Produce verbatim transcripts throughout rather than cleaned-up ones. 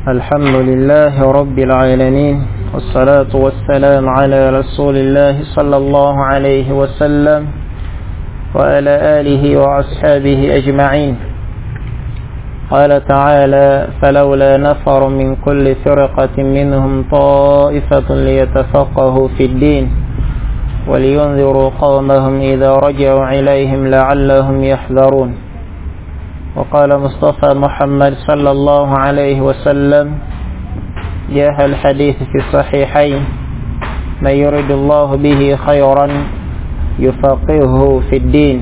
الحمد لله رب العالمين والصلاة والسلام على رسول الله صلى الله عليه وسلم وعلى آله وأصحابه أجمعين. قال تعالى: فلولا نفر من كل فرقة منهم طائفة ليتفقهوا في الدين ولينذروا قومهم إذا رجعوا إليهم لعلهم يحذرون. وقال مصطفى محمد صلى الله عليه وسلم، جاء الحديث في الصحيحين: من يرد الله به خيرا يفقهه في الدين.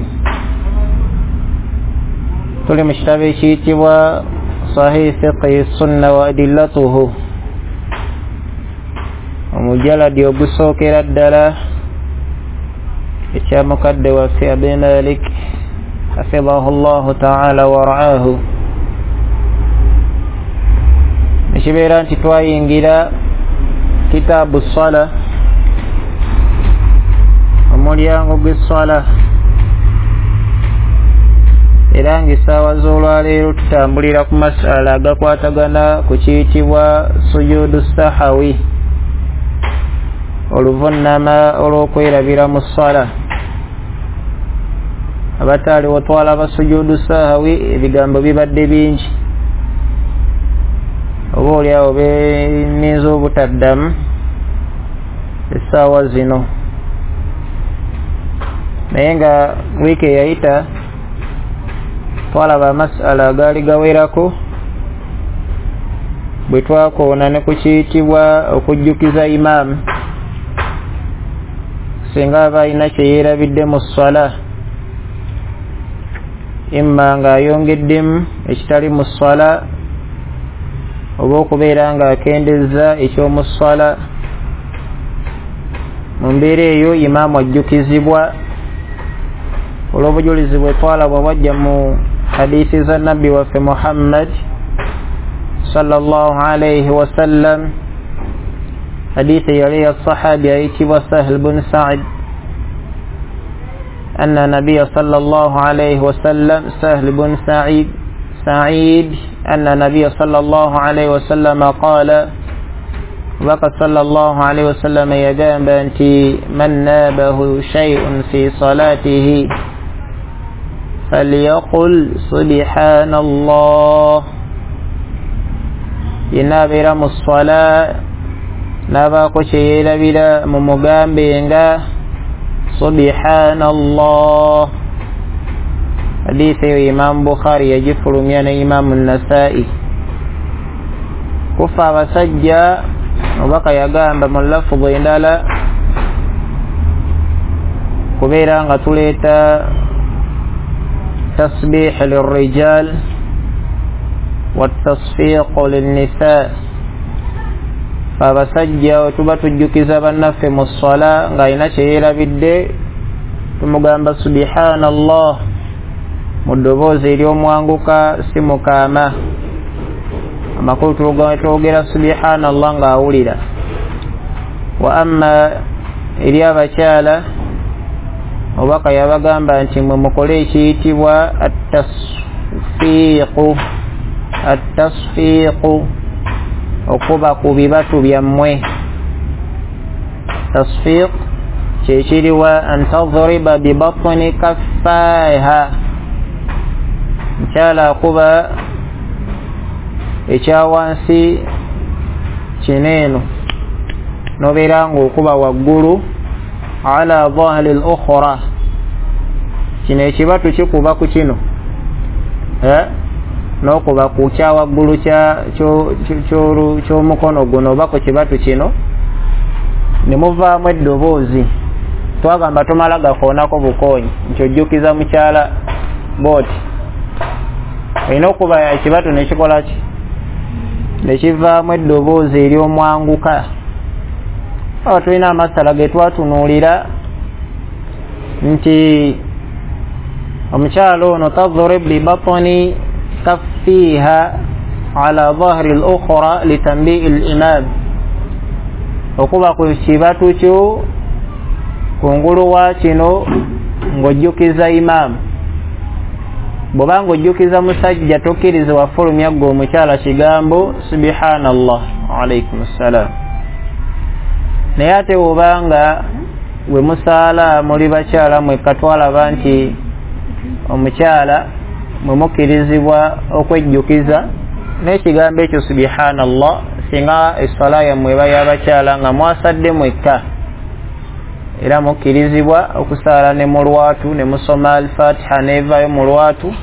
Tuli mu kitabo ekiyitibwa Sahih Fiqhi Sunna wa Adillatuhu, omujaladi ogusookera ddala ekya mukadde waffe Abi Malik hafidahu llahu taala waraahu. Ekibeera nti twayingira kitaabu ssala, omulyango gw'esswala, era ng'essaawa z'olwaleero tutambulira ku masala agakwatagana ku kiyitibwa sujuudu sahawi, oluvunnama olw'okwerabira mu sswala. Abataaliwo twalaba sujuudu sahawi, ebigambo bibadde bingi, oba oliawo beninza obutaddamu essaawa zino. Naye nga wiiki eyayita twalaba amasala agaali gawerako bwe twakoona ne ku kiyitibwa okujjukiza imaamu singa aba alina kye yeerabidde mu sswala, imma ng'ayongeddemu ekitali mu sswala oba okubeera ng'akendezza eky'omu sswala. Mu mbeera eyo imaamu ajjukizibwa olw'obujulizi bwe twalaba bwajja mu hadithi za nabbi waffe Muhammad sallallahu alayhi wasallam. Hadithi yali ya sahabi ayitibwa Sahl bun Sa'id, anna nabiyya sallallahu alayhi wasallam Sahl bun Sa'id Sa'id anna nabiyya sallallahu alayhi wasallam qala, Baka sallallahu alayhi wasallam yagamba nti man nabahu shay'un fi salatihi falyaqul subhanallah. Yenna abeera mu sswala n'abaako kye yeerabira mumugambe nga subhanallah. Hadithi eyo Imaamu Bukhari yagifulumya ne Imaamu Nasaa'i. Kufa abasajja, Omubaka yagamba mu lafuzi endala kubeera nga tuleeta tasbih lirrijal watasfiq linnisa. Abasajja we tuba tujjukiza bannaffe mu sswala ng'alina kye yeerabidde, tumugamba subhanallah mu ddoboozi ery'omwanguka, si mukaama. Amakulu twogera subhanallah ng'awulira. Wa amma eri abakyala, Omubaka yabagamba nti mwe mukole ekiyitibwa attasfiiqu, attasfiiqu, okuba ku bibatu byammwe. Tasfiiq kyekiriwa an tadriba bibatni kaffaiha, mukyala akuba ekyawansi kino eno nobeera ng'okuba waggulu ala dhahri al-ukhra, kino ekibatu kikuba ku kino eh n'okuba ku kyawaggulu ky'omukono guno oba ku kibatu kino ne muvaamu eddoboozi. Twagamba tomala gakoonako bukoonyi nti ojjukiza mukyala bw'oti, olina okuba ekibatu ne kikola ki, ne kivaamu eddoboozi ery'omwanguka. Awo tulina amasala ge twatunuulira nti omukyala ono tadrib bibatni kaffiha ala dhahri al-ukhra litanbi'i al-imam, okuba ku kibatu kyo kungulu wa kino ng'ojjukiza imaamu. Bw'obanga ojjukiza musajja tokkirizibwa fulumya ggwe omukyala kigambo subhanallah. Alaikum ssalam. Naye ate bw'obanga we musaala muli bakyala mwekka, twalaba nti omukyala mwe mukkirizibwa okwejjukiza n'ekigambo ekyo subhanallah singa esswala yammwe eba y'abakyala nga mwasadde mwekka, era mukkirizibwa okusaala ne mu lwatu ne musoma Alfatiha n'evaayo mu lwatu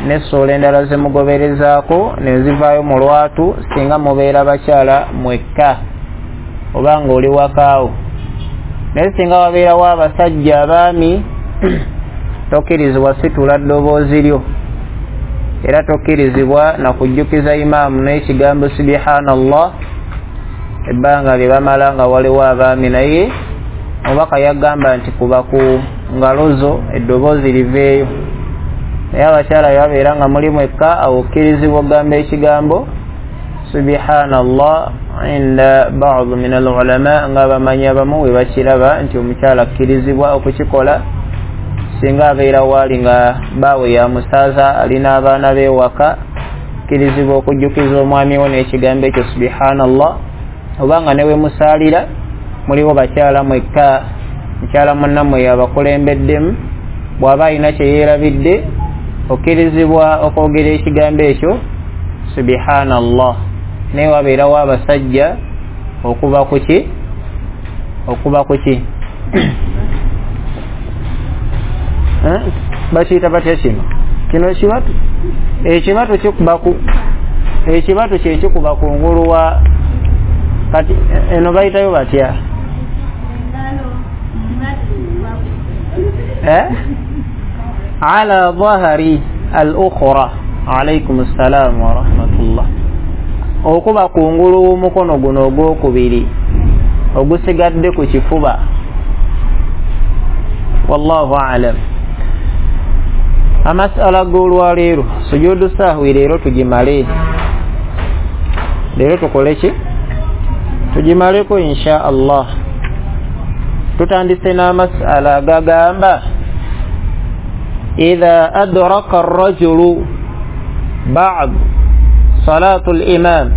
n'essuula endala ze mugoberezaako ne zivaayo mu lwatu singa mubeera bakyala mwekka oba ng'oli wakaawo. Naye singa wabeerawo abasajja abaami, tokkirizibwa situla ddoboozi lyo, era tokkirizibwa na kujjukiza imaamu n'ekigambo subhanallah ebbanga lye bamala nga waliwo abaami. Naye omubaka yagamba nti kuba ku ngalo zo eddoboozi liveeyo. Naye abakyala bwe babeera nga muli mwekka, awo okkirizibwa okugamba ekigambo subhanallah inda ba'd min al-ulama, nga abamanyi abamu we bakiraba nti omukyala akkirizibwa okukikola singa abeera waali nga baawe ya musaaza alina abaana be waka, akkirizibwa okujjukiza omwami we n'ekigambo ekyo subhanallah. Obanga ne we musaalira muliwo bakyala mwekka, mukyala munnammwe yabakulembeddemu, bw'aba alina kye yeerabidde okkirizibwa okwogera ekigambo ekyo subhanallah. Naye wabeerawo abasajja okuba kuki okuba kuki bakiyita batya kino kino ekibatu ekibatu kikuba ku ekibatu kye kikuba kungulu wa kati eno bayitayo batya eh ala dhahri al-ukhra. Alaykum assalam wa rahmatullah. Okuba kungulu w'omukono guno ogwokubiri ogusigadde ku kifuba. Wallahu a'lam. Amasala g'olwaleero sujudu sahwi leero tugimale, leero tukole ki? Tugimaleko insha Allah. Tutandise n'amasala agagamba idha adraka ar-rajulu ba'd salatu al-imam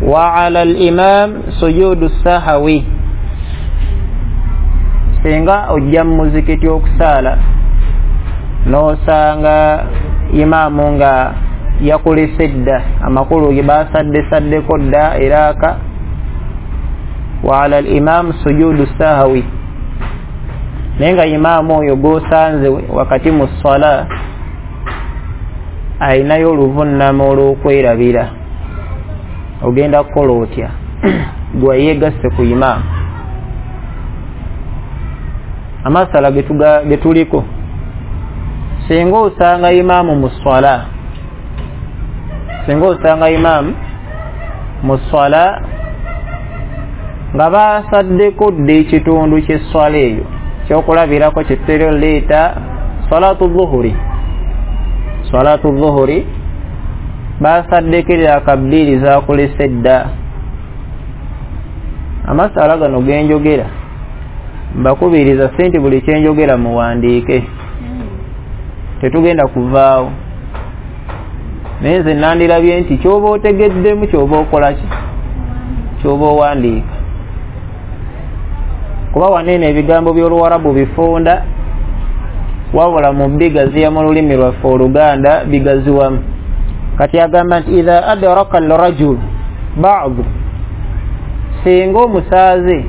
wa 'ala al-imam sujudu sahwi. Singa ojja mu muzikiti okusaala n'osanga imaamu nga yakulese dda, amakulu ge basadde saddeko dda eraka, wa 'ala al-imam sujudu sahwi, naye nga imaamu oyo gw'osanze wakati mu sswala ayinayo oluvunnama olw'okwerabira, ogenda kukola otya? Gwe yeegasse ku imaamu. Amasala ge tuliko, singa osanga imaamu mu sswala, singa osanga imaamu mu sswala nga basaddeko dda ekitundu ky'esswala eyo, kyokulabirako kyetutera leeta salatu dhuhuri, salatu dhuhuri basaddeko eraka bbiri zakulese dda. Amasala gano genjogera mbakubiriza si nti buli kyenjogera muwandiike, tetugenda kuvaawo. Naye nze nandirabye nti kyoba otegeddemu kyoba okola ki, kyoba owandiika, kuba waneeno ebigambo by'Oluwarabu bifunda, wabula mu bigaziya mu lulimi lwaffe Oluganda bigaziwamu. Kati agamba nti idha adraka al-rajul ba'd, singa omusaaze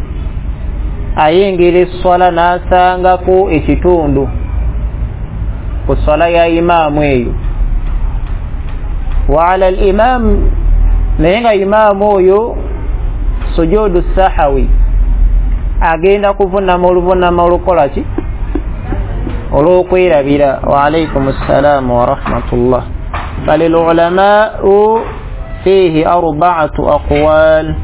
ayingira esswala n'asangako ekitundu ku swala ya imaamu eyo, wa ala al-imam, naye nga imaamu oyo sujudu sahawi agenda kuvunama oluvunama olukola ki olw'okwerabira. Wa alaykum assalam wa rahmatullah. Falil ulamau fihi arba'atu aqwal.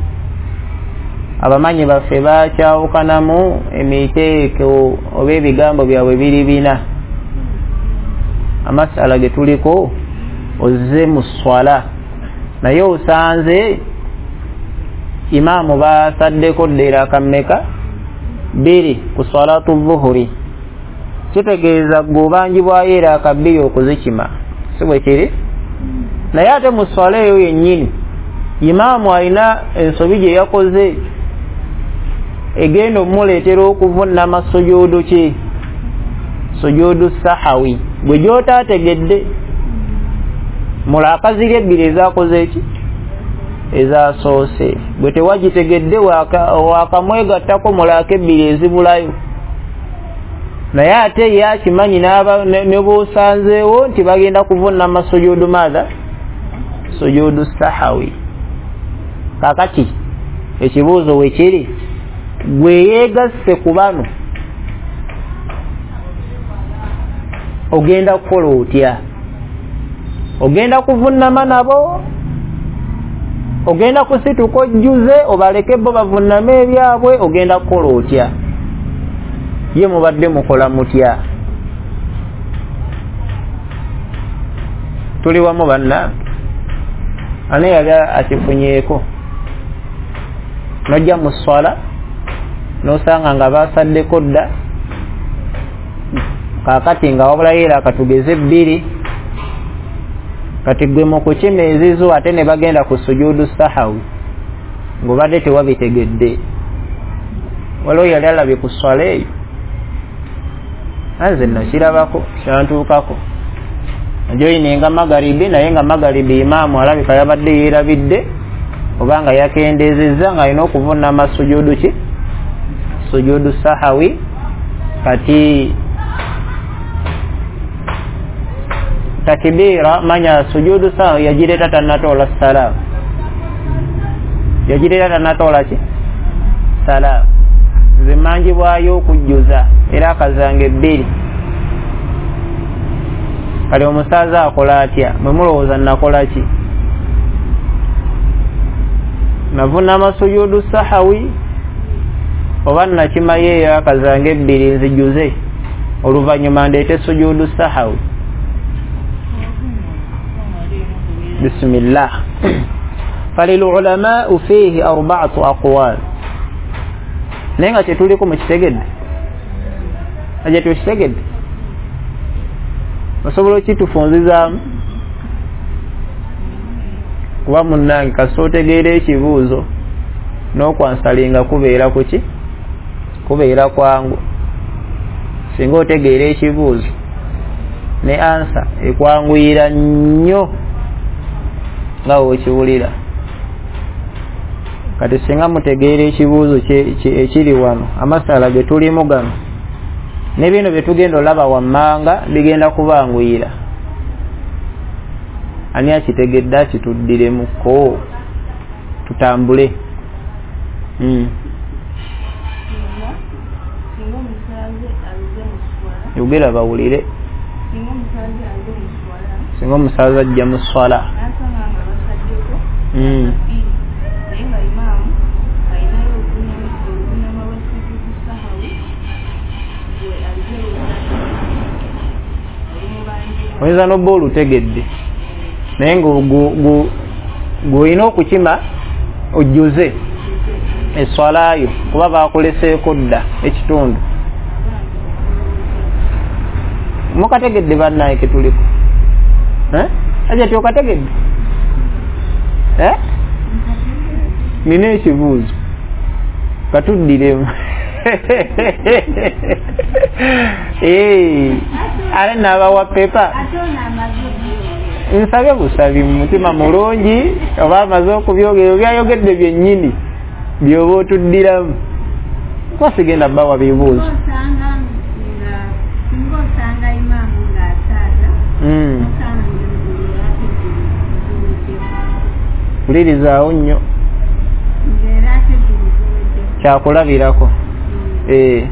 Abamanyi baffe bakyawukanamu emiteeko oba ebigambo byabwe biri bina. Amasala ge tuliko ozze mu swala naye osanze imaamu basaddeko dda eraka mmeka? Bbiri ku salatu dhuhuri. Kitegeeza gwe obanjibwayo eraaka bbiri okuzikima, si bwe kiri? Naye ate mu swala eyo yennyini imaamu alina ensobi gye yakoze egenda omuleetera okuvunnama sujuudu ki? Sujuudu sahawi, gwe gy'otaategedde mulaaka ziri ebbiri ezaakoze eki? Ezasoose. Gwe tewagitegedde, waakamwegattako mulaaka ebbiri ezibulayo. Naye ate ye akimanyi ne bw'osanzeewo nti bagenda kuvunnama sujuudu maatha? Sujuudu sahawi. Kaakati ekibuuzo we kiri, gwe yeegasse ku bano ogenda kukola otya? Ogenda kuvunnama nabo? Ogenda kusituka ojjuze obaleke bo bavunname ebyabwe? Ogenda kukola otya? Ye mubadde mukola mutya? Tuli wamu banna? Ani yali akifunyeeko? Nojja mu swala n'osanga nga basaddeko dda, kaakati nga wabulayo era katugeze bbiri, kati gwe mu kukima ezizo ate ne bagenda ku sujuudu sahawi ng'obadde tewabitegedde. Waliwo yali alabye ku swala eyo? Nze nakirabako, kyantuukako. Najoyininga magaribi, naye nga magaribi imaamu alabika yabadde yeerabidde oba nga yakendeezezza ng'alina okuvunnama sujuudu ki? Sujuudu sahawi. Kati takibira manya sujuudu sahawi yagireeta tannatoola salaamu, yagireeta tannatoola ki? Salaamu. Nze manjibwayo okujjuza era akazange bbiri. Kale omusaaza akola atya? Mwe mulowooza nakola ki? Navunnama sujuudu sahawi oba nakimayo eyo akazange ebbiri nzijuze oluvannyuma ndeete sujuudu sahawi? Bismillah. Falilulamau fiihi arbaatu aqwal. Naye nga kyetuliko mukitegedde? Aje tukitegedde? Osobola okitufunzizaamu? Kuba munnange kasita otegeera ekibuuzo n'okwansalinga kubeera kuki? Kubeera kwangu. Singa otegeera ekibuuzo ne ansa ekwanguyira nnyo nga w'okiwulira. Kati singa mutegeera ekibuuzo ekiri wano, amasala ge tulimu gano ne bino bye tugenda olaba wammanga bigenda kubanguyira. Ani akitegedde akituddiremuko tutambule. Mm. Yogera bawulire. Singa omusaaza ajja mu swala mm. Oyinza n'obba olutegedde, naye ng'olina okukima ojjuze eswalayo kuba bakuleseeko dda ekitundu. Mukategedde bannaye ketuliko? Aja tyokategedde? Nina ekibuuzo katuddiremu. Ate n'abawa pepa nsabye busabi mu mutima mulungi, oba amaze okubyogera byayogedde byennyini by'oba otuddiramu, kuba sigenda bawa bibuuzo. Wulirizaawo nnyo, kyakulabirako. Eh.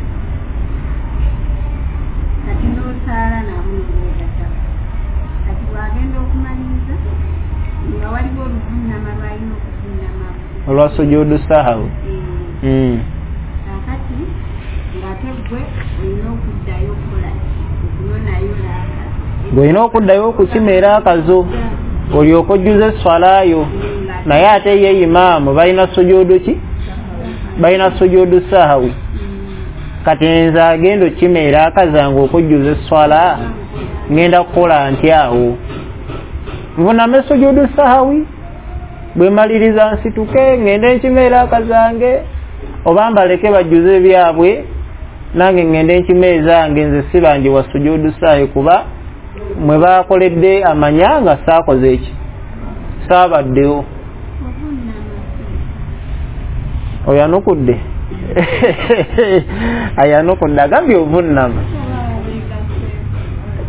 Kati n'osaala nabo n'ogatta. Kati bw'agenda okumaliriza nga waliwo oluvunnama lw'alina okuvunnama olwa sujuudu sahawi. Mm. Kaakati ng'ate ggwe olina okuddayo okukola okunonayo laaka. Ng'olina okuddayo okukima era akazo olyoke ojjuze eswalayo, naye ate ye imaamu balina sujuudu ki? Balina sujuudu sahawi. Kati nze agenda okukima eraaka zange okujjuza esswala ngenda kukola ntya awo? Nvuname sujudu sahawi, bwe maliriza nsituke ngende nkima eraaka zange, oba mbaleke bajjuze ebyabwe nange ngende nkima ezange, nze sibanjibwa sujudu sahawi kuba mwe bakoledde amanya nga saakoze eki, saabaddewo. Oyanukudde ayanukudde agambye ovunnama.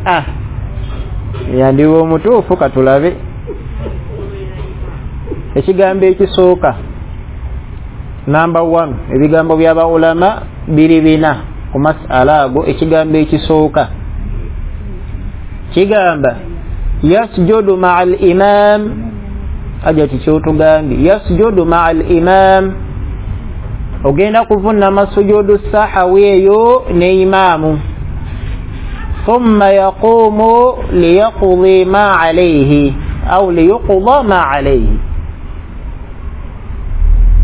Ah, yandiba omutuufu. Katulabe ekigambo ekisooka namba one, ebigambo by'aba ulama biri bina ku masala ago. Ekigambo ekisooka kigamba yasjudu ma'al imam, aja kikyotugambye yasjudu ma'al imam, ogenda kuvunnama sujudu sahawi eyo ne imaamu, thumma yaqumu liyaqdi ma alayhi au liyuqda ma alayhi,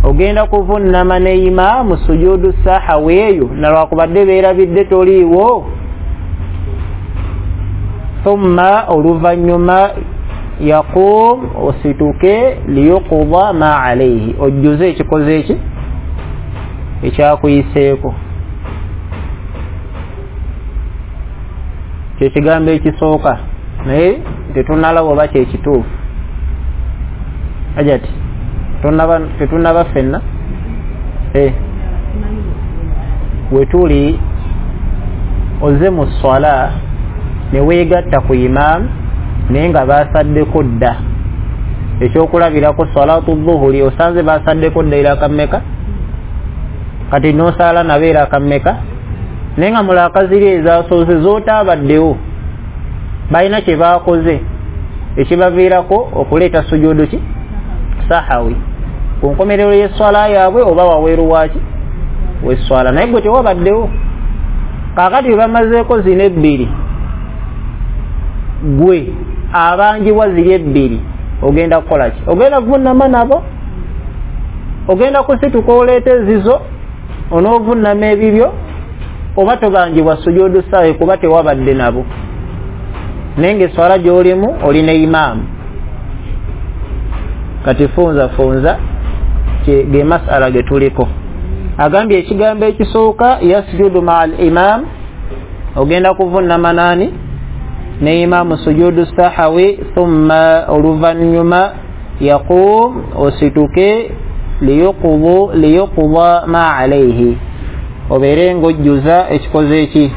ogenda kuvunnama ne imaamu sujudu sahawi eyo nalwakubadde beerabidde toliiwo, thumma oluvannyuma yaqum osituke liyuqda ma alayhi, ojjuze ekikoze eki ekyakuyiseeko. Kyekigambo ekisooka, naye tetunnalaba oba kyekituufu. Ajati tetunnaba ffenna eh, wetuli ozze mu swala ne weegatta ku imaamu naye nga baasaddeko dda. Ekyokulabirako salatu dhuhuri osanze baasaddeko dda eraka mmeka? Kati n'osaala nabo eraka mmeka? Naye nga mulaaka ziri ezasoose z'otaabaddewo balina kye baakoze ekibaviirako okuleeta sujudu ki sahawi ku nkomerero y'esswala yaabwe oba waweeru waaki w'esswala, naye gwe tewabaddewo. Kaakati bwe bamazeeko zino ebbiri, gwe abanjibwa ziri ebbiri ogenda kukola ki? Ogenda kuvunnama nabo, ogenda kusituka oleeta ezizo onoovunnama ebibyo, oba tobanjibwa sujudu sahawi kuba tewabadde nabo, naye ng'esswala gy'olimu oli ne imaamu. Kati funza funza ge masala ge tuliko. Agambye ekigambo ekisooka yasjudu ma'al imam, ogenda kuvunnama nani? Ne imaamu sujudu sahawi, thumma oluvannyuma yaqum osituke liyuqdu liyuqda ma alayhi, obeere ng'ojjuza ekikoze eki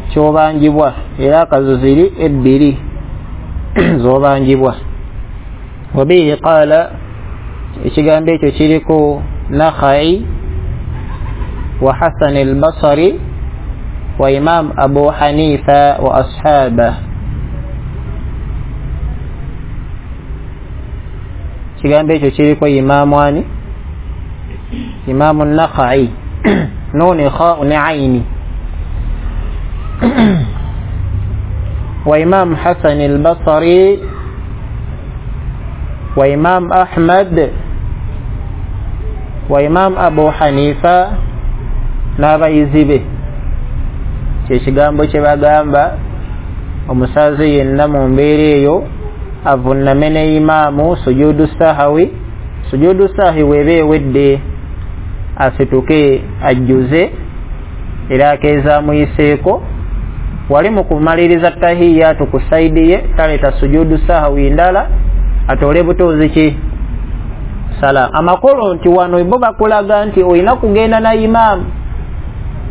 kyobanjibwa, era akazo ziri ebbiri z'obanjibwa. Wabihi qaala, ekigambo ekyo kiriko Nakhai wa Hasan al-Basri wa Imam Abu Hanifa wa ashabah. Ekigambo ekyo kiriko Imamu ani? Imamu Nakhai, nuni kha ne aini, wa Imam Hasan al-Basri wa Imam Ahmad wa Imam Abu Hanifa n'abayizi be. Kyekigambo kye bagamba omusazi yenna mu mbeera eyo avunname ne imaamu sujudu sahawi, sujudu sahawi weba ewedde asituke ajjuze era akeezaamuyiseeko. Wali mu kumaliriza tahiyatu ku saidi ye taleeta sujudu sahawi ndala, atoole butuuzi ki salam. Amakolo nti wano bo bakulaga nti olina kugenda na imaamu,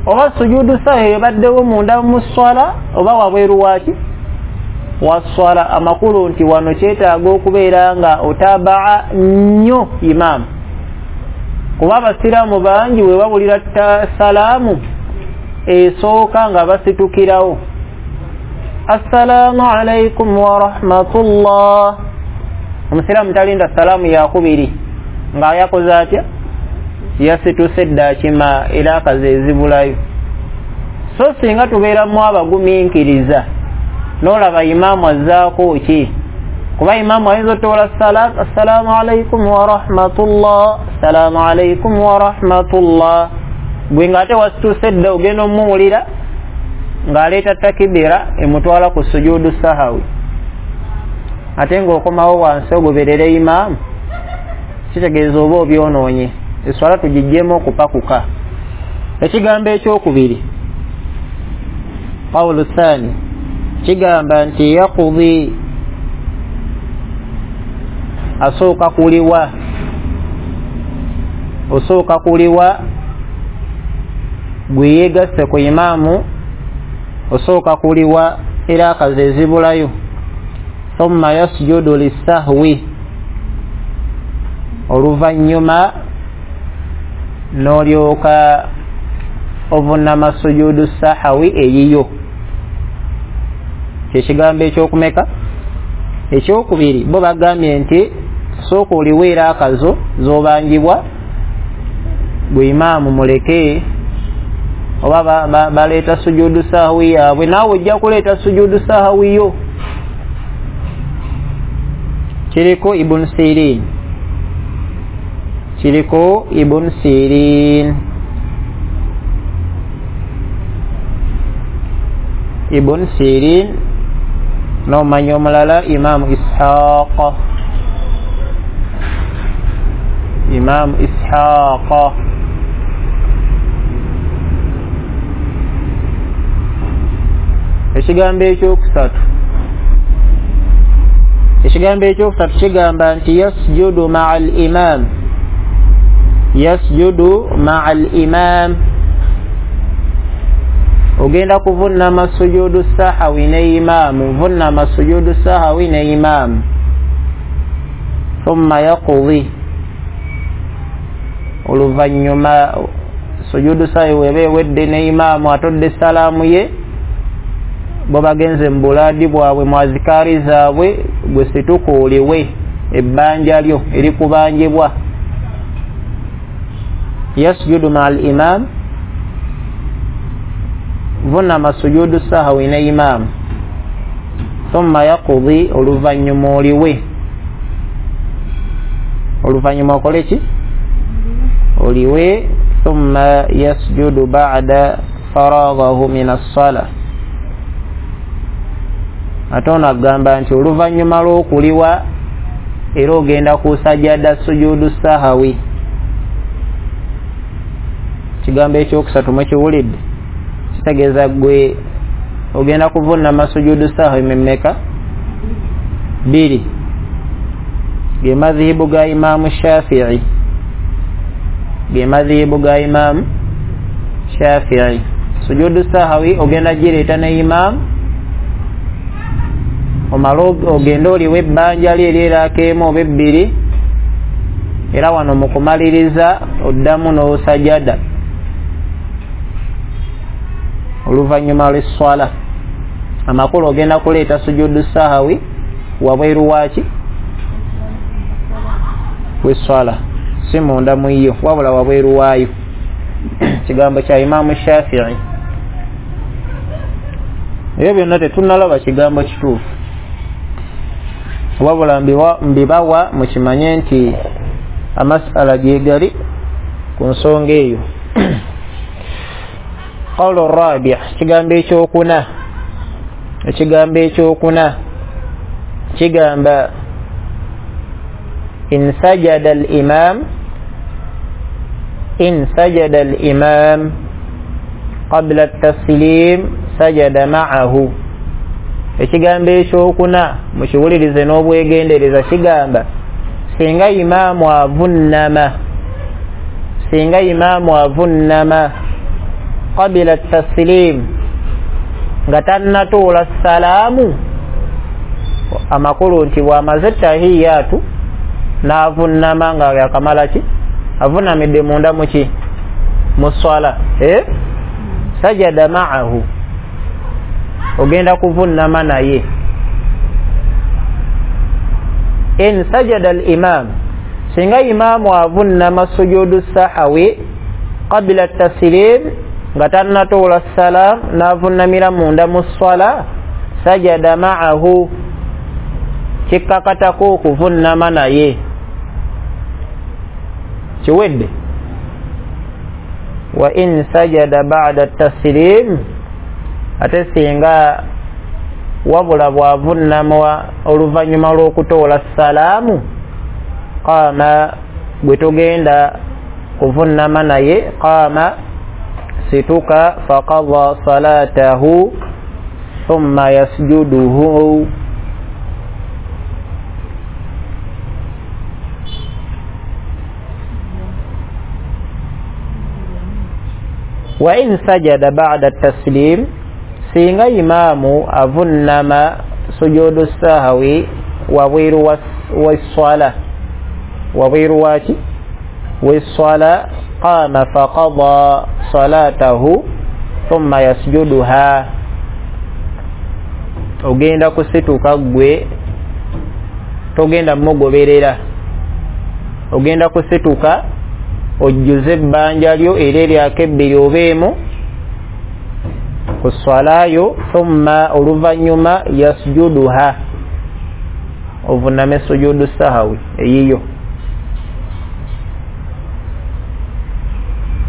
oba sujudu sahawi ebaddewo munda mu swala oba wabweru waaki wa swala. Amakulu nti wano kyetaaga okubeera nga otabaa nnyo imaamu, kuba abasiraamu bangi we bawulira salaamu esooka nga basitukirawo assalaamu alaikum wa rahmatullah. Omusiraamu talinda salaamu yakubiri nga yakoze atya? Yasituse dda akima era akazi ezibulayo. So singa tubeeramu abagumiikiriza n'olaba imaamu azzaako ki, kuba imaamu ayinza otoola salaamu assalaamu alaikum wa rahmatullah, assalaamu alaikum wa rahmatullah, Gwe ng'ate wasituuse dda ogenda omuwulira ng'aleeta takibira emutwala ku sujudu sahawi, ate ng'okomawo wansi ogoberere imaamu, kitegeeza oba obyonoonye. Eswala tugiggyemu okupakuka. Ekigambo ekyokubiri, qawlu thani, kigamba nti yaqudi, asooka kuliwa, osooka kuliwa gwe yeegasse ku imaamu, osooka kuliwa era akazi ezibulayo. Thumma yasjudu lissahwi, oluvannyuma n'olyoka ovunnama sujudu sahawi eyiyo. Kyekigambo ekyokumeka? Ekyokubiri, bo bagambye nti sooka oliwe era akazo z'obanjibwa gwe imaamu muleke, oba baleeta sujudu sahawi yaabwe, naawe ojja kuleeta sujudu sahawi yo. Kiriko Ibn Sirin, kiriko Ibn Sirin, Ibn Sirin n'omanyi omulala Imaamu Ishaq, Imaamu Ishaq. Ekigambo ekyokusatu, ekigambo ekyokusatu kigamba nti yasjudu ma'a al-imam, yasjudu ma'a al-imam, ogenda kuvunnama sujudu sahawi ne imaamu, vunnama sujudu sahawi ne imaamu. Thumma yaqdi, oluvannyuma sujudu sahawi weba ewedde ne imaamu atodde salaamu ye, bo bagenze mu bulaadi bwabwe mu azikaari zaabwe, gwe situka oliwe ebbanja lyo erikubanjibwa. Yasjudu ma'a al-imam, vunnama sujudu sahawi ne imaamu. Thumma yaqdi, oluvannyuma oliwe, oluvannyuma okole ki? Oliwe. Thumma yasjudu ba'da faraghahu min as-salah, ate ono agamba nti oluvannyuma lw'okuliwa era ogenda kusajada sujudu sahawi. Kigambo ekyokusatu mwekiwulidde, kitegeeza gwe ogenda kuvunnama sujudu sahawi mmeka? Bbiri. Ge madhihibu ga Imaamu Shafi'i, ge madhihibu ga Imaamu Shafi'i. Sujudu sahawi ogenda gireeta ne imaamu, omala ogenda oliwa ebbanja lye eryeraako emu oba ebbiri, era wano mu kumaliriza oddamu n'osajada oluvannyuma lw'esswala. Amakulu ogenda kuleeta sujudu sahawi wabweru waaki? W'esswala, si munda mu yo, wabula wabweru waayo. Kigambo kya Imaamu Shafi'i. Ebyo byonna tetunnalaba kigambo kituufu, wabula mbibawa mukimanye nti amasala gye gali ku nsonga eyo. Qawlu rabi', kigambo ekyokuna, ekigambo ekyokuna kigamba in sajada al-imam, in sajada al-imam qabla at-taslim sajada ma'ahu. Ekigambo ekyokuna mukiwulirize n'obwegendereza, kigamba singa imaamu avunnama, singa imaamu avunnama qabla at-taslim, nga tannatuula salaamu, amakulu nti bw'amaze tahiyaatu n'avunnama nga yakamala ki? Avunnamidde munda muki? Mu swala. Eh? Sajada ma'ahu, ogenda kuvunnama naye. In sajada al-imam, singa imaamu avunnama sujudu sahawi qabla at-taslim, nga tannatuula salaam n'avunnamira munda mu swala, sajada ma'ahu, kikkakatako okuvunnama naye. Kiwedde. Wa in sajada ba'da taslim, ate singa wabula bw'avunnama oluvannyuma lw'okutoola salaamu, qaama, gwe togenda kuvunnama naye, qaama, situka, faqadha salatahu thumma yasjuduhu. Wa in sajada ba'da taslim, singa imaamu avunnama sujudu sahwi wabweru w'esswala, wabweru waki w'esswala, qama faqada salatahu thumma yasjuduha, ogenda kusituka gwe togenda mugoberera, ogenda kusituka ojjuze ebbanja lyo era eryako ebbiri obeemu ku swalayo, thumma oluvannyuma yasjuduha, ovunname sujudu sahawi eyiyo.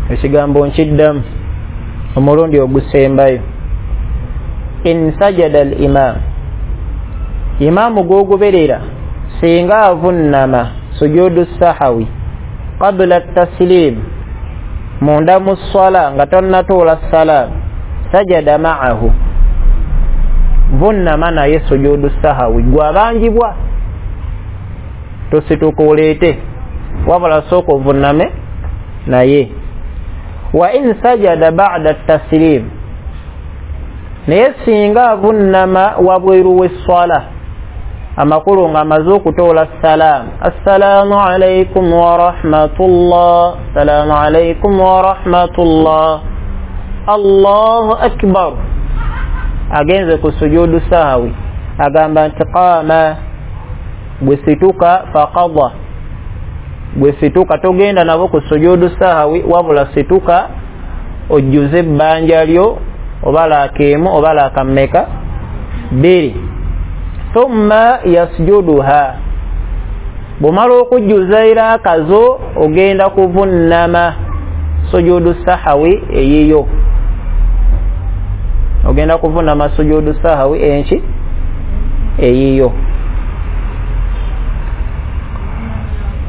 Ekigambo nkiddamu omulundi ogusembayo. In sajada al imam, imaamu gw'ogoberera singa avunnama sujudu sahawi qabla taslim, munda mu swala nga tonnatoola salaamu, sajada ma'ahu, vunnama naye sujudu sahawi gwabanjibwa, tosituka oleete, wabula sooka ovunname naye. Wa in sajada ba'da taslim, naye singa avunnama wabweru w'esswala, amakulu nga amaze okutoola salaamu, assalaamu alaikum wa rahmatullah, assalaamu alaikum wa rahmatullah, Allahu akbar, agenze ku sujudu sahawi, agamba nti qaama, gwe situka, faqadha, gwe situka togenda nabo ku sujudu sahawi, wabula situka ojjuze ebbanja lyo oba laaka emu oba laaka mmeka bbiri, thumma yasjuduha, bw'omala okujjuza eraaka zo ogenda kuvunnama sujudu sahawi eyiyo, ogenda kuvunnama sujudu sahawi enki eyiyo.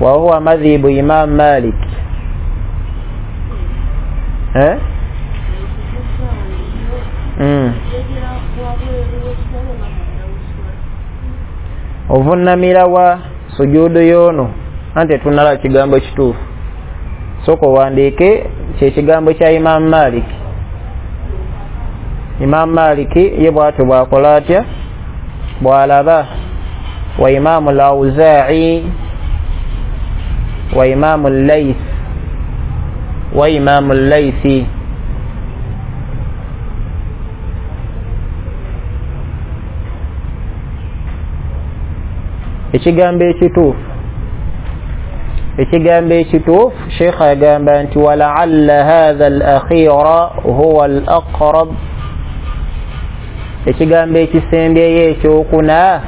Wa huwa madhhibu Imam Malik. Eh? Mm. Ovunnamira wa sujudu yono, ante tunala kigambo kituufu, sooka owandiike kyekigambo kya Imam Malik. Imam Malik ye bw'atyo bw'akola atya, bw'alaba wa Imamu al-Awzaa'i wa Imamu al-Layth wa Imamu al-Laythi. Ekigambo ekituufu, ekigambo ekituufu Sheikh agamba nti walaalla hadha al-akhira huwa al-aqrab, ekigambo ekisembyeyo ekyokuna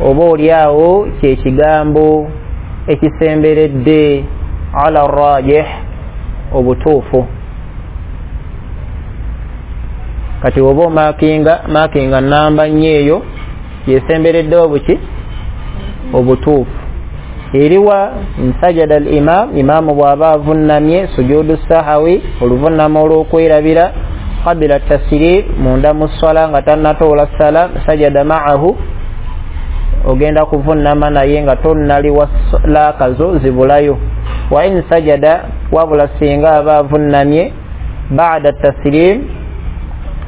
oba oliawo kyekigambo ekisemberedde ala rajih, obutuufu. Kati oba omakinga makinga namba nnyo eyo yesemberedde obuki obutuufu. Eriwa nsajada al-imam, imaamu bw'aba avunnamye sujudu sahawi, oluvunnama olw'okwerabira, qabila taslim, munda mu swala nga tannatoola salam, sajada ma'ahu, ogenda kuvunnama naye nga tonnaliwa laaka zo zibulayo. Wa in sajada, wabula singa aba avunnamye ba'da taslim,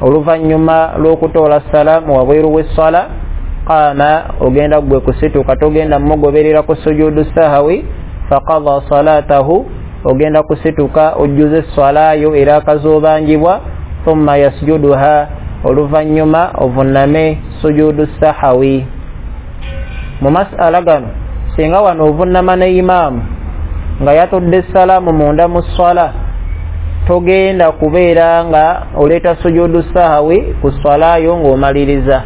oluvannyuma lw'okutoola salaamu wabweru w'esswala, qaama, ogenda gwe kusituka togenda mugoberera ku sujudu sahawi, faqadha salatahu, ogenda kusituka ojjuze swalayo era akazoobanjibwa, thumma yasjuduha, oluvannyuma ovunname sujudu sahawi. Mu mas'ala gano singa wano ovunnama ne imaamu nga yatodde salaamu munda mu swala, togenda kubeera nga oleeta sujudu sahawi ku swalayo ng'omaliriza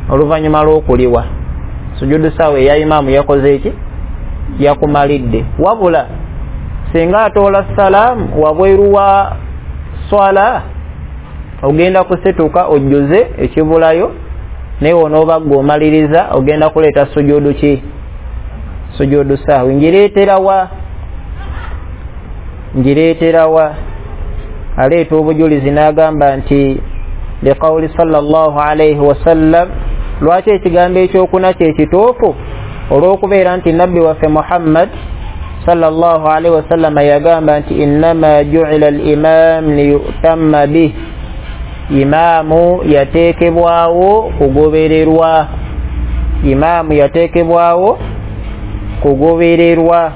oluvannyuma lw'okuliwa. Sujudu sahawi eya imaamu yakoze eki? Yakumalidde. Wabula Singa atoola salaamu wabweru wa swala, ogenda kusituka ojjuze ekibulayo, naye onooba gwe omaliriza ogenda kuleeta sujudu ki? Sujudu sahwi. Ngireeterawa? Ngireeterawa? Aleeta obujulizi n'agamba nti liqawuli sallallahu alaihi wasallam. Lwaki ekigambo ekyokuna kyekituufu? Olw'okubeera nti nabbi waffe Muhammad sallallahu alaihi wasallama yagamba nti innama ju'ila al-imam liyutamma bih, imaamu yateekebwawo kugobererwa, imaamu yateekebwawo kugobererwa.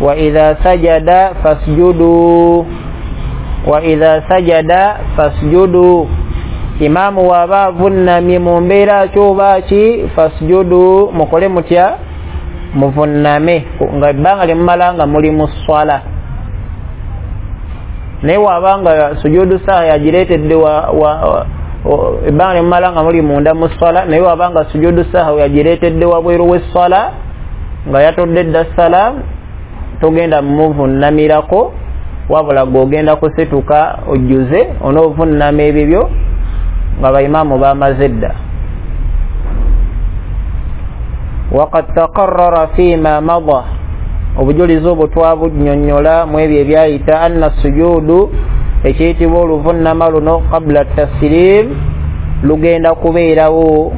Wa idha sajada fasjudu, wa idha sajada fasjudu, imaamu waba avunnamye mu mbeera kyoba ki, fasjudu, mukole mutya? Muvunname, nga ebbanga lyemumala nga muli mu swala. Naye wabanga sujudu saha yagireetedde ebbanga lyemumala nga muli munda mu swala, naye wabanga sujudu saha yagireetedde wabweru w'esswala nga yatodde dda salaamu, togenda muvunnamirako, wabula gw'ogenda kusituka ojjuze onoovunnama ebibyo nga baimaamu bamaze dda. Waqad taqarrara fima mada, obujulizi obwo twabunnyonnyola mu ebyo ebyayita, anna sujudu, ekiyitibwa oluvunnama luno, qabla taslim, lugenda kubeerawo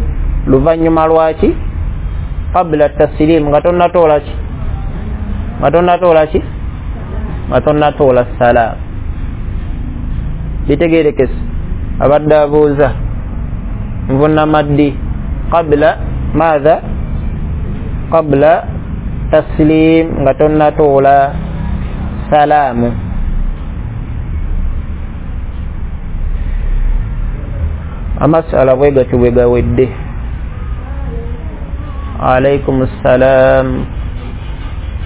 luvannyuma lwaki? Qabla taslim, nga tonnatoola ki? Nga tonnatoola ki? Nga tonnatoola salaamu. Bitegeerekese. Abadde abuuza nvunnama ddi? Qabla maatha? Qabla taslim, nga tonnatoola salaamu. Amasala bwe gatyo bwe gawedde. Alaikum ssalam.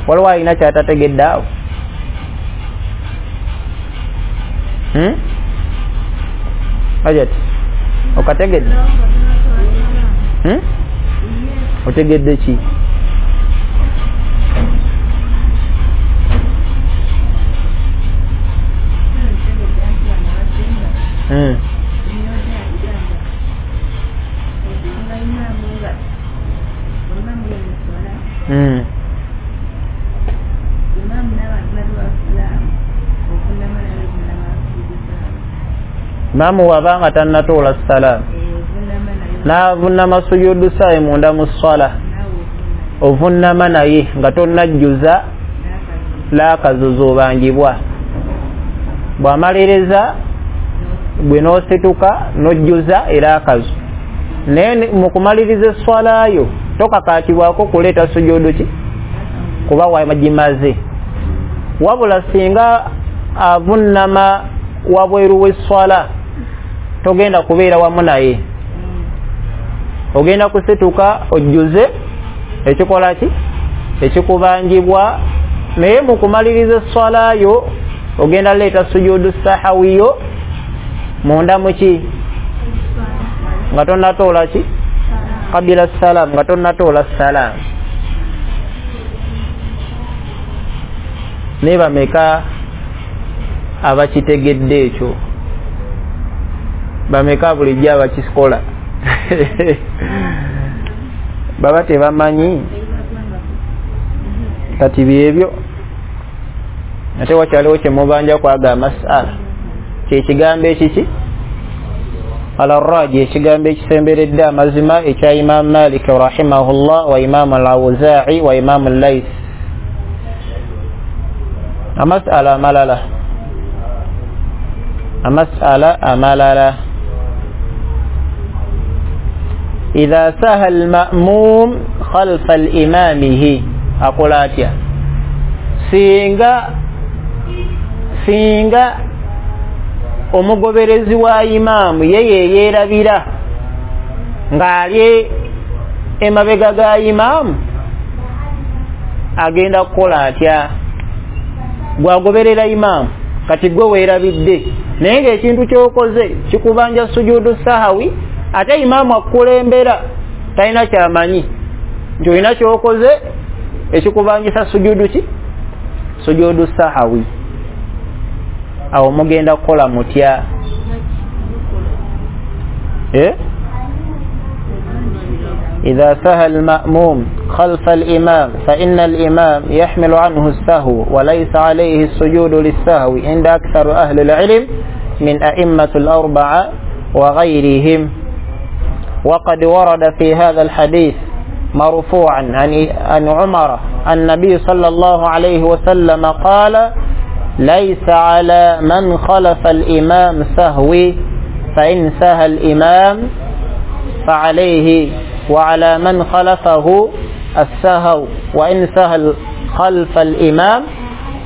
Waliwo alina kyatategedde awo? Hmm? Hajati, okategedde? Hmm? Otegedde ki? Hmm. Hmm. Imaamu wabanga tannatoola salaamu n'avunnama sujudu saayi munda mu swala, ovunnama naye nga tonnajjuza laakazuza obangibwa. Bw'amaliriza gwe n'osituka n'ojjuza era akazu, naye mu kumaliriza esswalayo tokakaatibwako kuleeta sujudu ki, kuba wagimaze. Wabula singa avunnama wabweru w'esswala togenda kubeera wamu naye, ogenda kusituka ojjuze ekikola ki, ekikubanjibwa, naye mu kumaliriza esswalayo ogenda leeta sujudu sahawiyo munda muki, nga tonnatoola ki, qabila salam, nga tonnatoola salam. Naye bameka abakitegedde ekyo? Bameka bulijjo abakikola? Baba tebamanyi. Kati byebyo ate wakyaliwo kyemubanja kwaga masala, kyekigambo ekiki alarraji, ekigambo ekisemberedde amazima ekya Imam Malik rahimahullah wa Imam al-Awza'i wa Imam al-Layth. Amasala amalala, amasala amalala. Idha saha al-ma'mum khalfa al-imamihi, akola atya? Singa singa omugoberezi wa imaamu ye yeerabira ng'ali emabega ga imaamu, agenda kukola atya? Gwagoberera imaamu, kati gwe weerabidde, naye ng'ekintu ky'okoze kikubanja sujudu sahawi, ate imaamu akukulembera talina kyamanyi nti olina ky'okoze ekikubanjisa sujudu ki, Sujudu sahawi. Awo mugenda kukola mutya? Eh? إذا سهى المأموم خلف الإمام فإن الإمام يحمل عنه السهو وليس عليه السجود للسهو عند أكثر أهل العلم من أئمة الأربعة وغيرهم. وقد ورد في هذا الحديث مرفوعا عن عمر النبي صلى الله عليه وسلم قال ليس على من خلف الإمام سهو، فإن سهى الإمام فعليه وعلى من خلفه السهو، وإن سهى خلف الإمام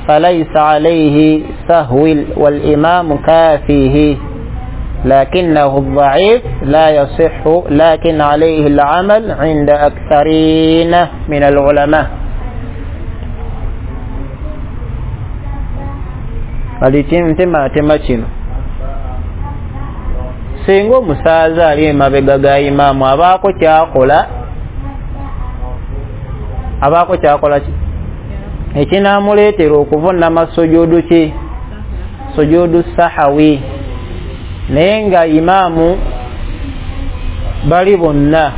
فليس عليه سهو والإمام كافيه، لكنه الضعيف لا يصح، لكن عليه العمل عند أكثرين من العلماء. Alitema kino singa omusaaza ali emabega ga imaamu abaako kyakola abaako kyakola ki ekinaamuleetera okuvunama sujudu ki sujudu sahawi, naye nga imaamu bali bonna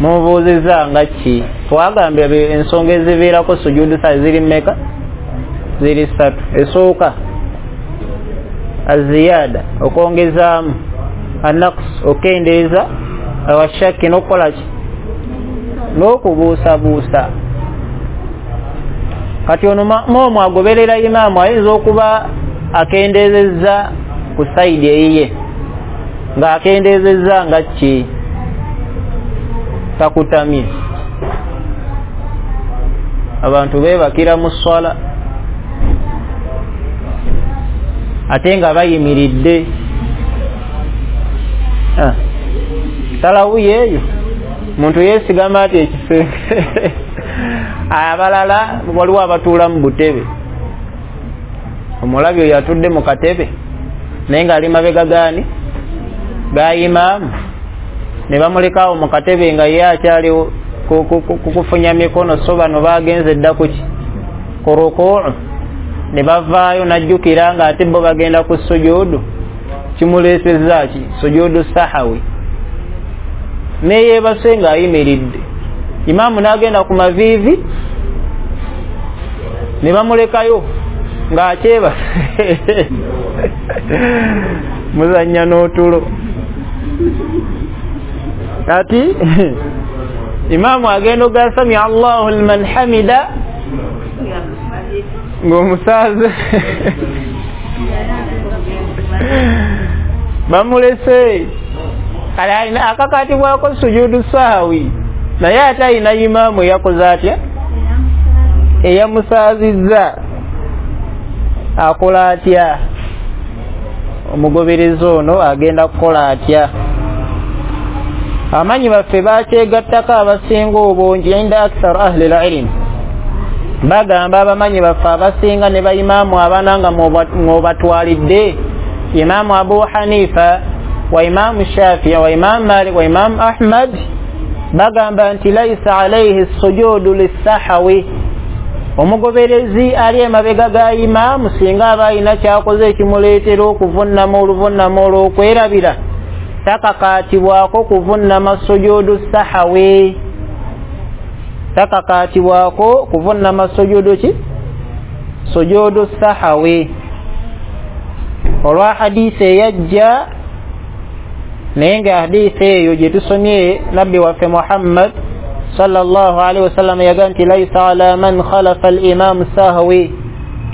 mubuuzizza nga ki? Twagambye ensonga eziviirako sujudu sahawi ziri mmeka? Ziri ssatu. Esooka aziyada, okwongezaamu, anaqs, okendeeza, awashaki, n'okukola ki n'okubuusabuusa. Kati ono ma'muumu agoberera imaamu ayinza okuba akendeezezza ku sayidi eyiye, ng'akendeezezza nga ki takutamye. Abantu beebakira mu swala ate nga bayimiridde. Ah, talawuyi eyo muntu yeesigama ati ekisenge. Abalala waliwo abatuula mu butebe, omulabi oyo atudde mu katebe naye ng'ali mabega gaani ga imaamu, ne bamulekaawo mu katebe nga ye akyali kukufunya mikono, so bano bagenze dda kuki ku rukuu, ne bavaayo n'ajjukira nga ate bo bagenda ku sujudu. Kimuleesezza ki? Sujudu sahawi. Neyeebase ng'ayimiridde, imaamu n'agenda ku maviivi ne bamulekayo ng'akyebase. Muzannya n'otulo. Kati imaamu agenda oga samia Allahu liman hamida ng'omusaaze bamulese. Kale alina akakatibwako sujudu sahawi, naye ate alina imaamu eyakoze atya? Eyamusaazizza. Akola atya? Omugoberezi ono agenda kukola atya? Amanyi baffe bakyegattako abasinga obungi inda akthar ahli lilm, bagamba abamanyi baffe abasinga ne baimaamu abana nga mwobatwalidde Imaamu Abu Hanifa wa Imaamu Shafii wa Imaamu Malik wa Imaamu Ahmad, bagamba nti laisa alaihi sujudu lissahawi. Omugoberezi ali emabega ga imaamu singa aba alina kyakoze ekimuleetera okuvunnama oluvunnama olw'okwerabira, takakaatibwako kuvunnama sujudu sahawi, takakaatibwako kuvunnama sujudu ki sujudu sahawi. Olwa hadiisi eyajja, naye nga hadiisi eyo gye tusomye nabbi waffe Muhammad sallallahu alaihi wasallam yagamba nti laisa ala man khalafa al-imam sahwi,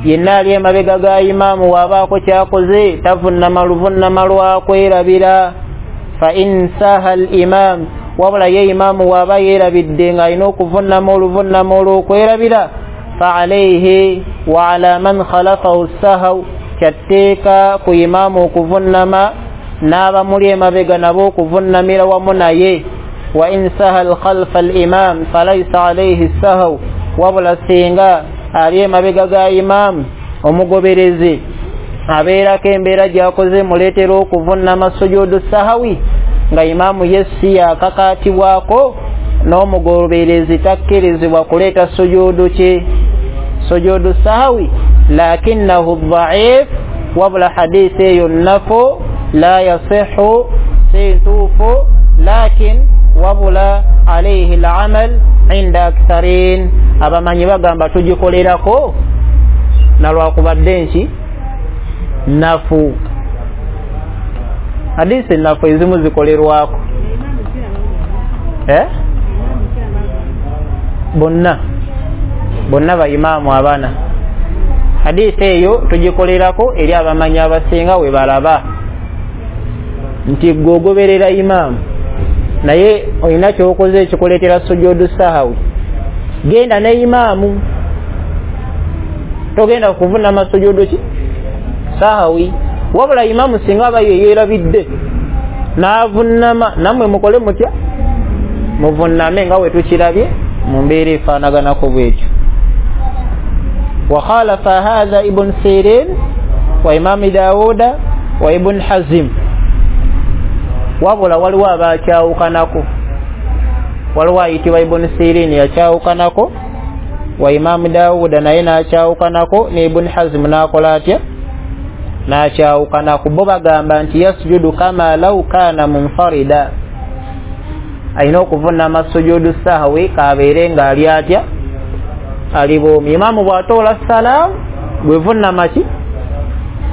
yenna ali emabega ga imaamu wabaako kyakoze tavunnama luvunnama lwakwerabira. Fa in saha al-imam, wabula ye imaamu waaba yeerabidde ng'alina okuvunnama oluvunnama olw'okwerabira, fa alaihi wa ala man khalafahu sahw, kyatteeka ku imaamu okuvunnama n'abamuli emabega nabo okuvunnamira wamu naye. Wa in saha khalfa al-imam falaysa alayhi sahw, wabula singa ali emabega ga imaamu omugoberezi abeerako embeera gy'akoze muleetera okuvunnama sujudu sahawi, nga imaamu ye si yakakaatibwako n'omugoberezi takkirizibwa kuleeta sujudu ki Sujudu sahwi lakinnahu dhaif, wabula hadisi eyo nnafu, la yasihu, si ntuufu, lakin wabula alaihi lamal inda aktharin, abamanyi bagamba tugikolerako nalwakubadde nki nafu. Hadisi nafu ezimu zikolerwako eh? Bonna bonna baimaamu abana hadisi eyo tugikolerako eri abamanyi abasinga we balaba nti gwe ogoberera imaamu naye olina kyokoze ekikuleetera sujudu sahawi, genda ne imaamu, togenda kuvunama sujudu ki sahawi. Wabula imaamu singa aba yeerabidde n'avunama, nammwe mukole mutya? Muvuname nga we tukirabye mu mbeera efaanaganako bwetyo. Wakhalafa hadha Ibn Sirin wa Imam Dawuda wa Ibn Hazim, wabula waliwo abakyawukanako, waliwo ayitibwa Ibn Sirin yakyawukanako wa Imam Dawuda naye n'akyawukanako ne Ibn Hazim n'akola atya? N'akyawukanako. Bo bagamba nti yasjudu kama law kana munfarida, alina okuvunama sujudu sahwi kabeere ng'ali atya? Ali bwomi. Imaamu bw'atoola salaamu bwevunama ki?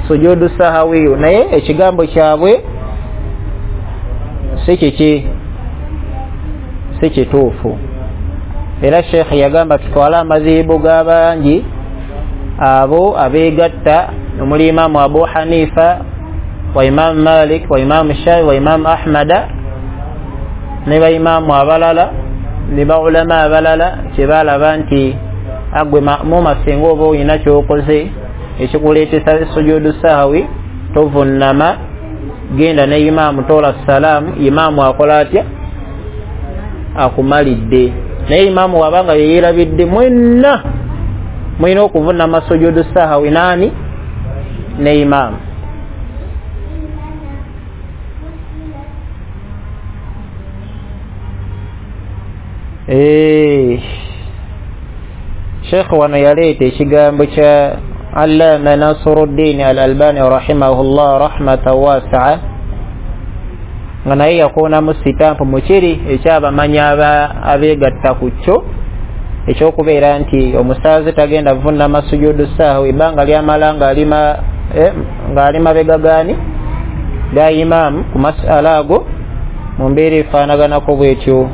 Sujudu sahawiyo. Naye ekigambo kyabwe si kiki, si kituufu. Era Sheikh yagamba tutwale amazibu g'abangi abo abeegatta omuli Imaamu Abu Hanifa wa Imaamu Malik wa Imaamu Shafi wa Imaamu Ahmada ne baimaamu abalala ne baulama abalala kye balaba nti agwe ma'muuma singa oba olina kyokoze ekikuleetesa sujudu sahawi tovunnama, genda ne imaamu toola salaamu, imaamu akola atya? Akumalidde. Naye imaamu wabanga yeerabidde mwenna mulina okuvunama sujudu sahawi nani? Ne imaamu. Eh, Sheikh wano yaleeta ekigambo kya Allama Nasiruddin Al-Albani rahimahullah rahmatan wasi'a, nga naye yakoonamu sitampu mu kiri ekyabamanyi abeegatta ku kyo ekyokubeera nti omusaaze tagenda vunama sujudu sahwi ebbanga lyamala ng'alima eh, ng'ali mabega gaani ga imaamu ku masala ago mu mbeera efaanaganako bwetyo.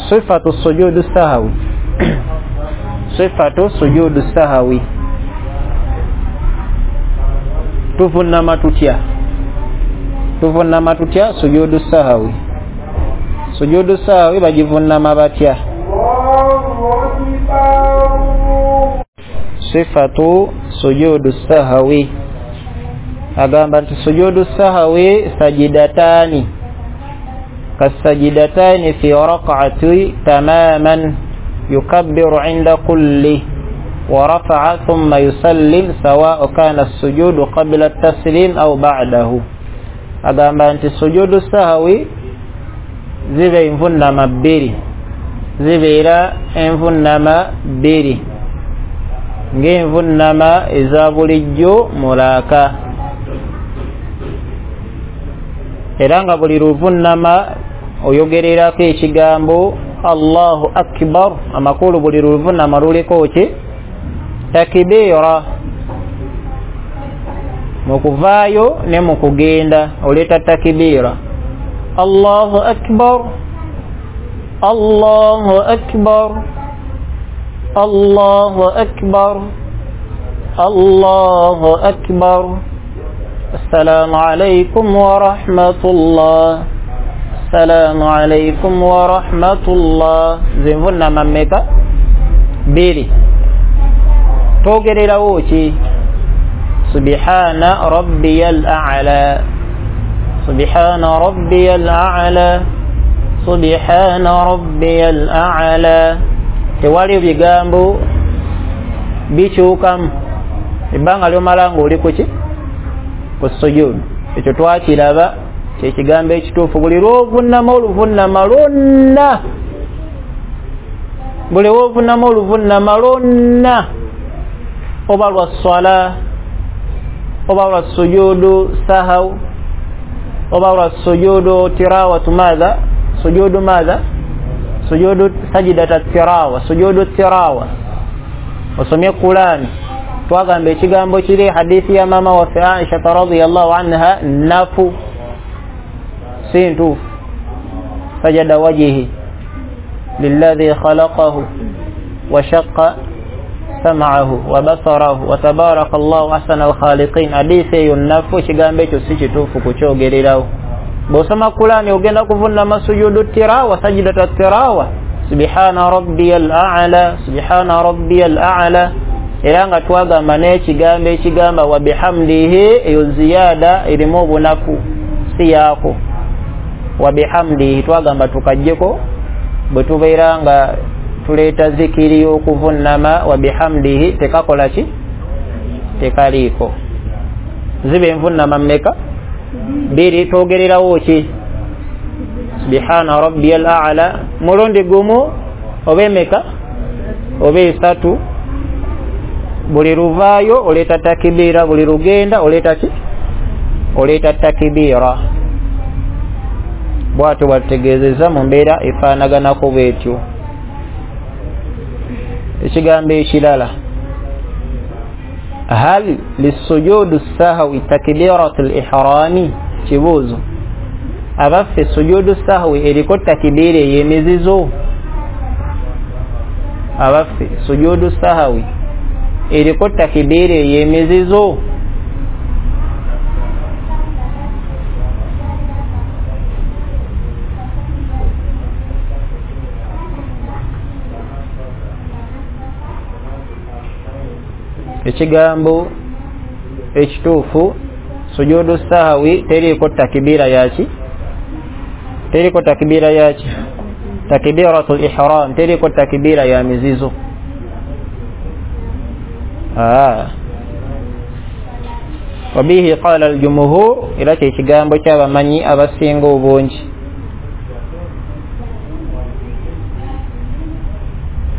Sifatu sujudu sahawi, sifatu sujudu sahawi, tuvunama tutya? Tuvunama tutya sujudu sahawi? Sujudu sahawi bagivunama batya? Sifatu sujudu sahawi, agamba nti sujudu sahawi sajidatani kasajidatani fi rak'ati tamaman yukabbiru inda kulli wa rafa'a thumma yusallim sawa'u kana as-sujudu qabla at-taslim aw ba'dahu. Agamba nti sujudu sahawi ziba envunnama bbiri, zibeera envunnama bbiri ng'envunnama eza bulijjo mulaaka, era nga buli luvunnama oyogererako ekigambo Allahu akbar, amakulu buli luvunnama luliko ki? Takbiira. Mu kuvaayo ne mu kugenda oleeta takbiira, Allahu akbar, Allahu akbar, Allahu akbar, Allahu akbar, assalamu alaykum wa rahmatullah, assalamu alaykum wa rahmatullah. Zinvunnama mmeka? Bbiri. Twogererawo ki? Subhana rabbiyal a'la, subhana rabbiyal a'la, subhana rabbiyal a'la. Tewali bigambo bikyukamu ebbanga lyomala ng'oli ku ki? Ku sujudu. Ekyo twakiraba kyekigambo ekituufu. Buli lw'ovunnama oluvunnama lwonna Buli wovunama oluvunama lwonna, oba lwa swala, oba lwa sujudu sahaw, oba lwa sujudu tirawatu madha, sujudu madha, sujudu sajidata tirawa, sujudu tirawa, osomye Qur'ani. Twagamba ekigambo kiri hadithi ya mama waffe Aisha radhiyallahu anha nafu, si ntuufu. Sajada wajihi lilladhi khalaqahu wa shaqqa sam'ahu wa basarahu wa tabaraka Allahu ahsanal khaliqin. Hadithi eyo nafu, ekigambo ekyo si kituufu kukyogererawo. Bw'osoma Qur'ani ogenda kuvunama sujudu tirawa, sajidata tirawa, subhana rabbiyal a'la, subhana rabbiyal a'la. Era nga twagamba n'ekigambo ekigamba wa bihamdihi, eyo ziyada erimu obunafu, si yaako. Wa bihamdihi twagamba tukajjeko bwe tubeera nga tuleeta zikiri y'okuvunama, wa bihamdihi tekakola ki? Tekaliiko. Ziba envunama mmeka? Bbiri. Twogererawo ki? Subhana rabbiyal a'la mulundi gumu oba emeka? Oba esatu. Buli luvaayo oleeta takibira, buli lugenda oleeta ki? Oleeta takibira. Bwatyo bwatutegeezezza mu mbeera efaanaganako bwetyo. Ekigambo ekirala, hal lissujudu sahwi takbiratu l-ihrami? Kibuuzo, abaffe sujudu sahwi eriko takibira ey'emizizo? Abaffe sujudu sahwi eriko takibira ey'emizizo? Ekigambo ekituufu, sujudu sahwi teriiko takibira yaki? Teriko takibira yaki? Takbiratul ihram, teriko takibira ya mizizo. Ah, wabihi qala al-jumhur, era kye kigambo ky'abamanyi abasinga obungi.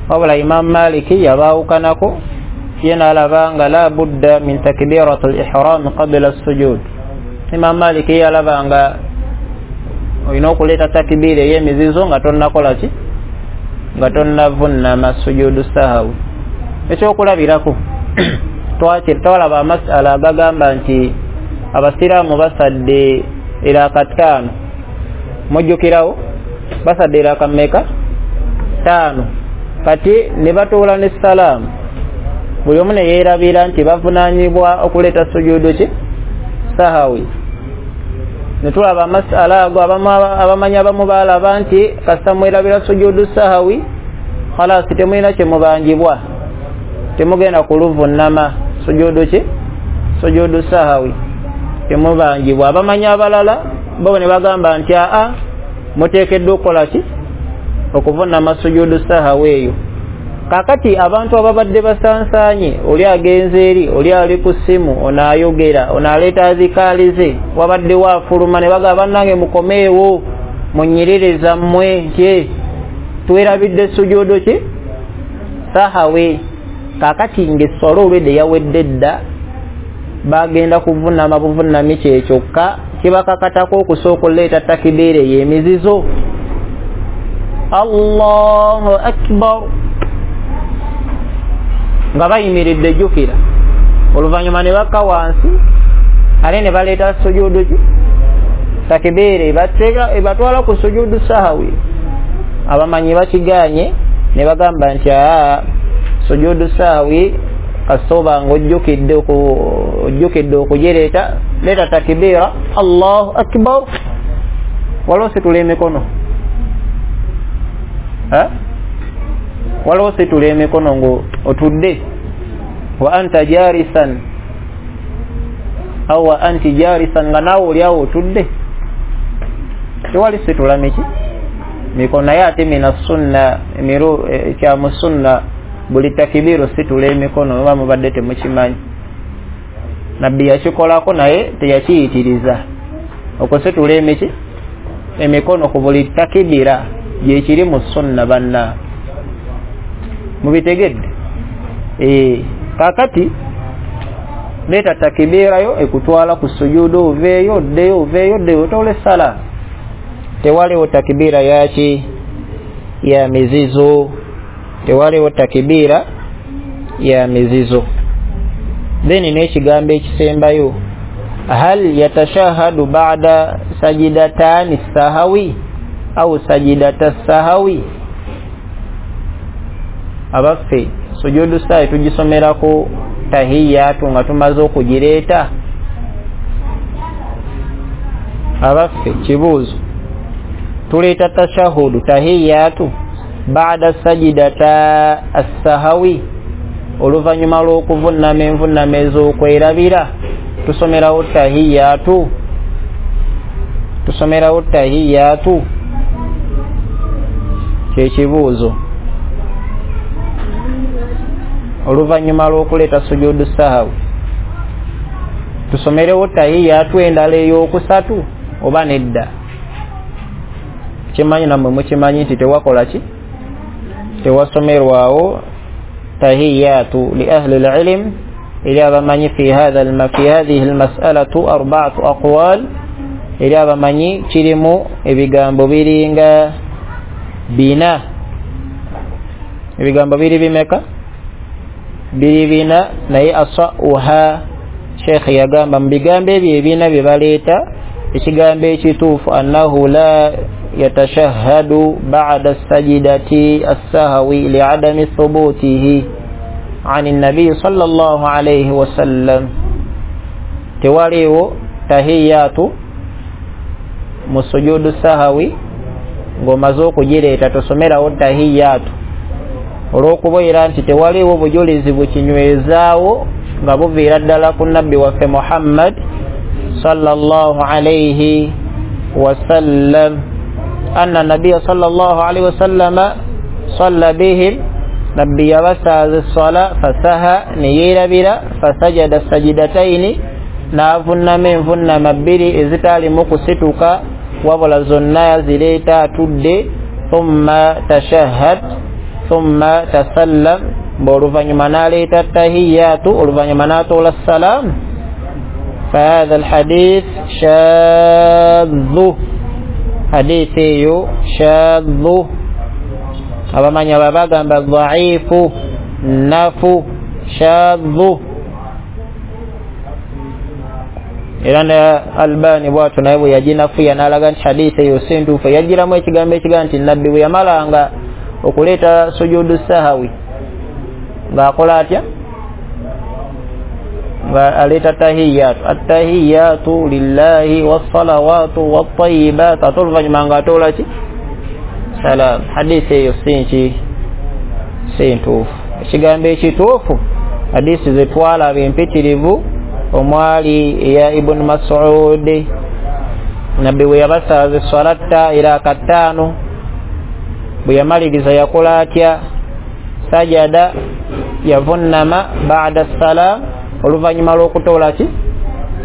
Wabula Imam Maliki yabaawukanako, ye n'alaba nga la budda min takbiratul ihram qabla as-sujud. Imam Maliki yalaba nga olina okuleeta takibira ey'emizizo nga tonnakola ki? Nga tonnavunama sujudu sahwi. Ekyokulabirako, twalaba amasala agagamba nti abasiraamu basadde eraka ttaano. Mujjukirawo? Basadde eraka mmeka? Ttaano. Kati ne batuula ne salaamu, buli omu ne yeerabira nti bavunaanyibwa okuleeta sujudu ki? Sahawi. Ne tulaba amasala ago, abamanyi abamu baalaba nti kasita mwerabira sujudu sahawi khalasi temulina kye mubanjibwa, temugenda kuluvunama sujudu ki? Sujudu sahawi temubanjibwa. Abamanyi abalala bo ne bagamba nti aa, muteekeddwa okukola ki? Okuvunama sujudu sahawi eyo. Kakati abantu ababadde basansaanye, oli agenze eri, oli ali ku ssimu, ono ayogera, ono aleeta azikaali ze, wabadde waafuluma ne bagamba bannange mukomeewo munyiririza mmwe nti twerabidde sujudu ki? Sahawi. Kakati ng'esswala olwedde yawedde dda, bagenda kuvunama buvunami kye kyokka kibakakatako okusooka okuleeta takibiira ey'emizizo. Allahu akbar, nga bayimiridde, jjukira, oluvannyuma ne bakka wansi ate ne baleeta sujudu ki? Takibiira ebatwala ku sujudu sahawi. Abamanyi bakigaanye ne bagamba nti aa, sujudu sahawi kasita oba nga ojjukidde ojjukidde okugireeta, leeta takibiira Allahu akbar. Waliwo situla emikono, waliwo situla emikono ngo otudde, wa anta jarisan au wa anti jarisan, nga naawe oli awo otudde, tewali situla miki mikono. Naye ate mina sunna, emiru kya mu sunna buli takibiru situla emikono, oba mubadde temukimanyi. Nabbi yakikolako naye teyakiyitiriza okusitula emiki emikono ku buli takibira, gyekiri mu sunna banna. Mubitegedde? Eh, kakati leeta takibirayo ekutwala ku sujudu, oveeyo oddeyo, oveeyo oddeyo, otoole salaamu. Tewaliwo takibira yaki? Ya mizizo. Tewaliwo takibira ya mizizo. Then n'ekigambo ekisembayo, hal yatashahadu ba'da sajidatani sahawi au sajidata sahawi. Abaffe sujudu sahi tugisomerako tahiyatu nga tumaze okugireeta? Abaffe kibuuzo, tuleeta tashahudu tahiyatu ba'da sajidata as-sahawi, oluvannyuma lw'okuvunnama envunnama ez'okwerabira tusomerawo tahiyatu, tusomerawo tahiyatu? Kyekibuuzo. Oluvannyuma lw'okuleeta sujudu sahawi tusomerewo tahiyatu endala ey'okusatu oba nedda? Kimanyi nammwe mukimanyi nti tewakola ki? Tewasomerwawo tahiyatu. Li ahli al-ilm, eri abamanyi fi hadha fi hadhihi al-mas'alatu arba'atu aqwal, eri abamanyi kirimu ebigambo biringa bina. Ebigambo biri bimeka? Biri bina. Naye asauha, Sheikh yagamba mu bigambo ebyo ebina bye baleeta ekigambo ekituufu annahu la yatashahhadu ba'da sajidati as-sahwi li'adami thubutihi 'ani an-nabi sallallahu alayhi wasallam. Tewaliwo tahiyatu mu sujudu sahawi ng'omaze okugireeta tosomerawo tahiyatu, olw'okubeera nti tewaliwo bujulizi bukinywezaawo nga buviira ddala ku nabbi waffe Muhammad sallallahu alayhi wasallam. Anna nabiyya sallallahu alayhi wasallama salla bihim, nabbi yabasaaza esswala fasaha, neyeerabira, fasajada sajidataini, n'avunnama envunnama bbiri ezitaalimu kusituka wabula zonna yazireeta atudde, thumma tashahhad thumma tasallam, oluvannyuma n'aleeta tahiyatu, oluvannyuma n'atoola salaamu. Fahadha alhadith shadhu, hadithi eyo shadhu. Abamanyi aba bagamba dhaifu, nafu, shadhu. Era ne Albani bwatyo naye bwe yaginafuya n'alaga nti hadithi eyo si ntuufu, yagiramu ekigambo ekigaa nti nabbi bwe yamalanga okuleeta sujudu sahawi ng'akola atya? Nga aleeta tahiyatu, attahiyatu lillahi wassalawatu wattayibat, ate oluvannyuma ng'atoola ki? Salam. Hadithi eyo si nki? Si ntuufu. Ekigambo ekituufu hadithi ze twalaba empitirivu omwali eya Ibn Mas'ud, nabbi bwe yabasaaza esswala tta era kataano, bwe yamaliriza yakola atya? Sajada, yavunnama ba'da salam, oluvannyuma lw'okutoola ki?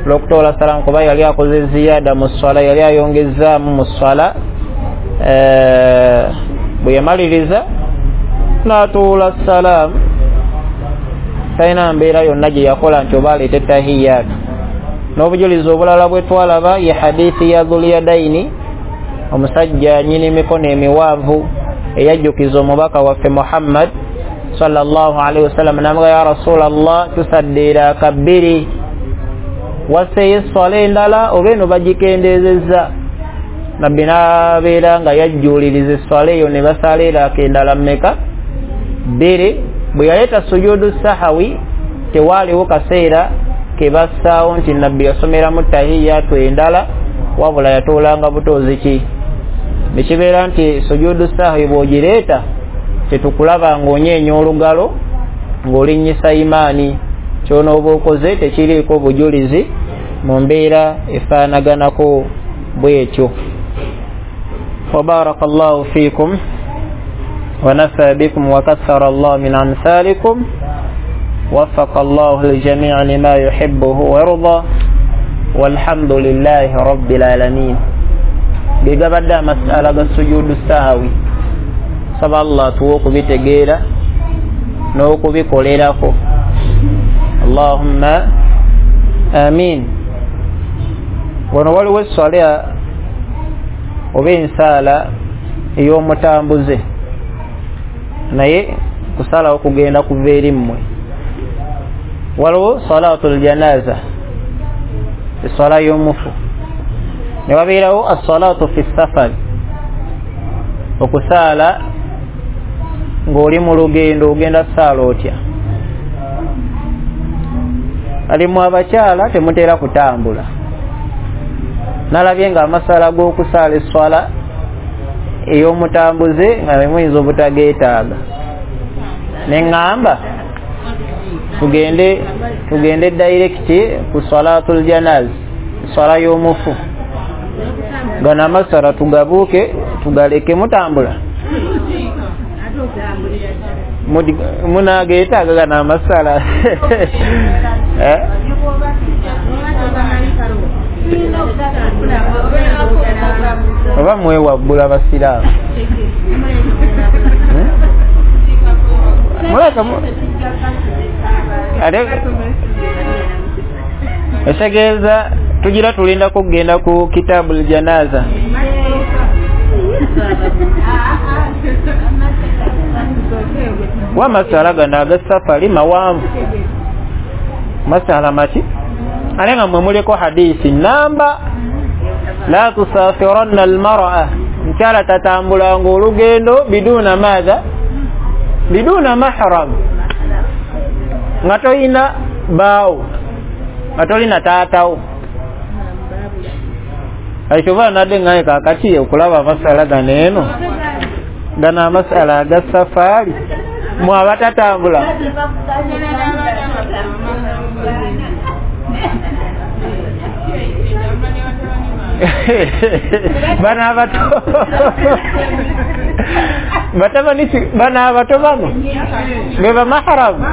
Lw'okutoola salam, kuba yali akoze ziyada mu swala, yali ayongezaamu mu swala. Bwe yamaliriza n'atoola salam, talina mbeera yonna gye yakola nti oba aleete tahiyatu. N'obujulizi obulala bwe twalaba ye hadithi ya Dhulyadaini, omusajja nnyini mikono emiwanvu eyajjukiza omubaka waffe Muhammad sallallahu alaihi wasallam, n'amugamba ya Rasulallah, tusaddeera akabbiri, waseeyo esswala endala oba eno bagikendeezezza? Nabbi n'abeera nga yajjuuliriza esswala eyo ne basaala eraaka endala mmeka? Bbiri. Bwe yaleeta sujudu sahawi tewaaliwo kaseera ke bassaawo nti nabbi yasomeramu tahiyatu endala, wabula yatoolanga butoozi ki? Nekibeera nti sujudu sahawi bw'ogireeta tetukulaba ng'onyeenya olugalo ng'olinnyisa imaani, ky'onooba okoze tekiriiko bujulizi mu mbeera efaanaganako bw'etyo. Wa barakallahu fiikum wa nafa bikum wa kathara Allah min amthalikum, wafaqa Allahu al-jami'a lima yuhibbuhu wa yarda, walhamdulillahi rabbil alamin. Ge gabadde amasala ga sujudu sahawi. Saba Allah tuwe okubitegeera N'okubikolerako. Allahumma amin. Wano waliwo esswala oba ensaala ey'omutambuze, naye kusalawo kugenda kuva eri mmwe. Waliwo salatul janaza, esswala y'omufu, ne wabeerawo assalatu fi safari, okusaala ng'oli mu lugendo. Ogenda saala otya? Alimu abakyala temutera kutambula. Nalabye nga amasala g'okusaala esswala ey'omutambuze nga muyinza obutageetaaga, ne ŋŋamba tugende tugende direct ku salatul janaz, swala y'omufu. Gano amasala tugabuuke tugaleke. Mutambula munageetaaga gano amasala? Eh? Oba mwewaggula basiraamu? Hmm? Muleka ate ekitegeeza tugira tulindako okugenda ku kitabul janaza. Wamasala gano agasafari mawanvu, masala maki, ate nga mwe muliko hadisi namba la tusafiranna almar'a, mukyala tatambulanga olugendo biduna madha, biduna mahram, nga toyina baawo, nga tolina taatawo. Ekyova nadde ngaye kakati okulaba amasala gano eno gano amasala aga safaari mwe abatatambula bano abato batabani bano abato bano be bamaharamu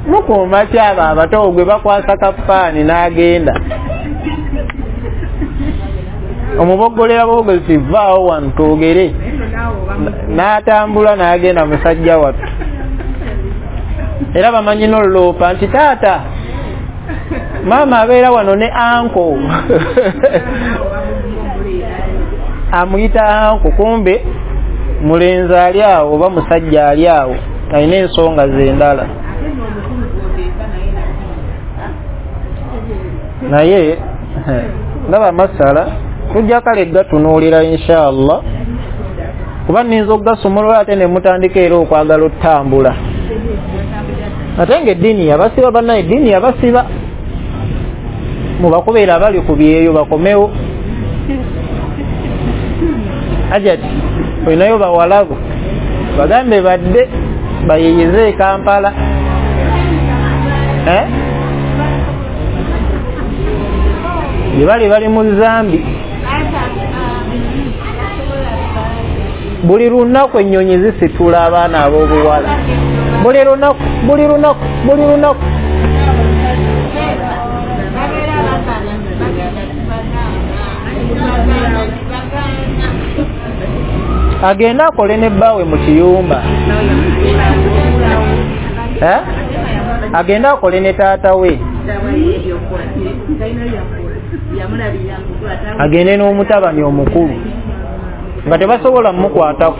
mukuuma ki abo abato gwe bakwasa kafaani n'agenda omuboggolera bogozi vaawo wano twogere, n'atambula n'agenda musajja wattu. Era bamanyi n'oluloopa nti taata maama abeera wano ne anko amuyita anko, kumbe mulenzi ali awo oba musajja ali awo alina ensonga ze endala. Naye ndaba masala tujja kale gatunuulira inshallah, kuba nninza okugasumulula ate ne mutandika era okwagala otambula. Ate nga eddiini yabasiba, bannaye eddiini yabasiba, mubakubeera abali ku byeyo bakomewo. Ajati olinayo bawalabu bagambe badde bayiyize e Kampala, eh? Gye bali bali mu Zambi. Buli lunaku ennyonyi zisitula abaana ab'obuwala, buli lunaku buli lunaku buli lunaku. Agenda akole ne bbaawe mu kiyumba, eh? Agenda akole ne taata we, agende n'omutabani omukulu nga tebasobola mmukwatako.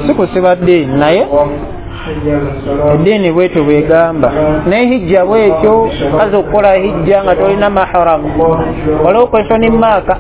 Si kusiba ddiini, naye eddiini bwetyo bwegamba. Ne hijja bwetyo, kazi okukola hijja nga tolina maharamu, waliwo question mark.